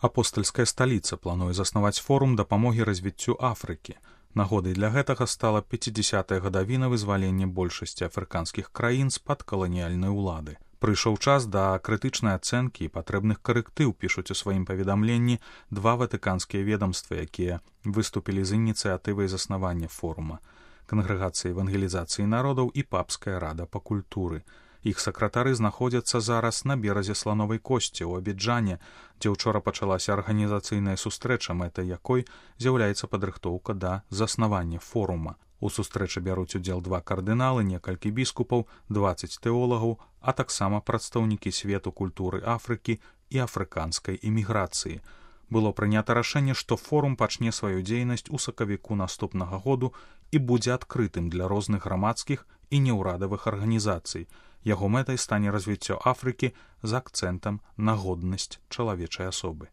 Апостальская сталіца плануе заснаваць форум дапамогі развіццю Афрыкі. Нагодай для гэтага стала 50-я гадавіна вызвалення большасці афрыканскіх краін з-пад каланіяльнай улады. Прыйшоў час да крытычнай ацэнкі і патрэбных карэктыў, пішуць у сваім паведамленні два ватыканскія ведамствы, якія выступілі з ініцыятывай заснавання форума: Кангрэгацыя евангелізацыі народаў і Папская рада па культуры. Іх сакратары знаходзяцца зараз на беразе слановай косці ў Абіджане, дзе ўчора пачалася арганізацыйная сустрэча, мэтай якой з'яўляецца падрыхтоўка да заснавання форума. У сустрэчы бяруць удзел два кардыналы, некалькі біскупаў, 20 тэолагаў, а таксама прадстаўнікі свету культуры Афрыкі і афрыканскай іміграцыі. Было прынята рашэнне, што форум пачне сваю дзейнасць у сакавіку наступнага году і будзе адкрытым для розных грамадскіх і неўрадавых арганізацый. Яго мэтай стане развіццё Афрыкі з акцэнтам на годнасць чалавечай асобы.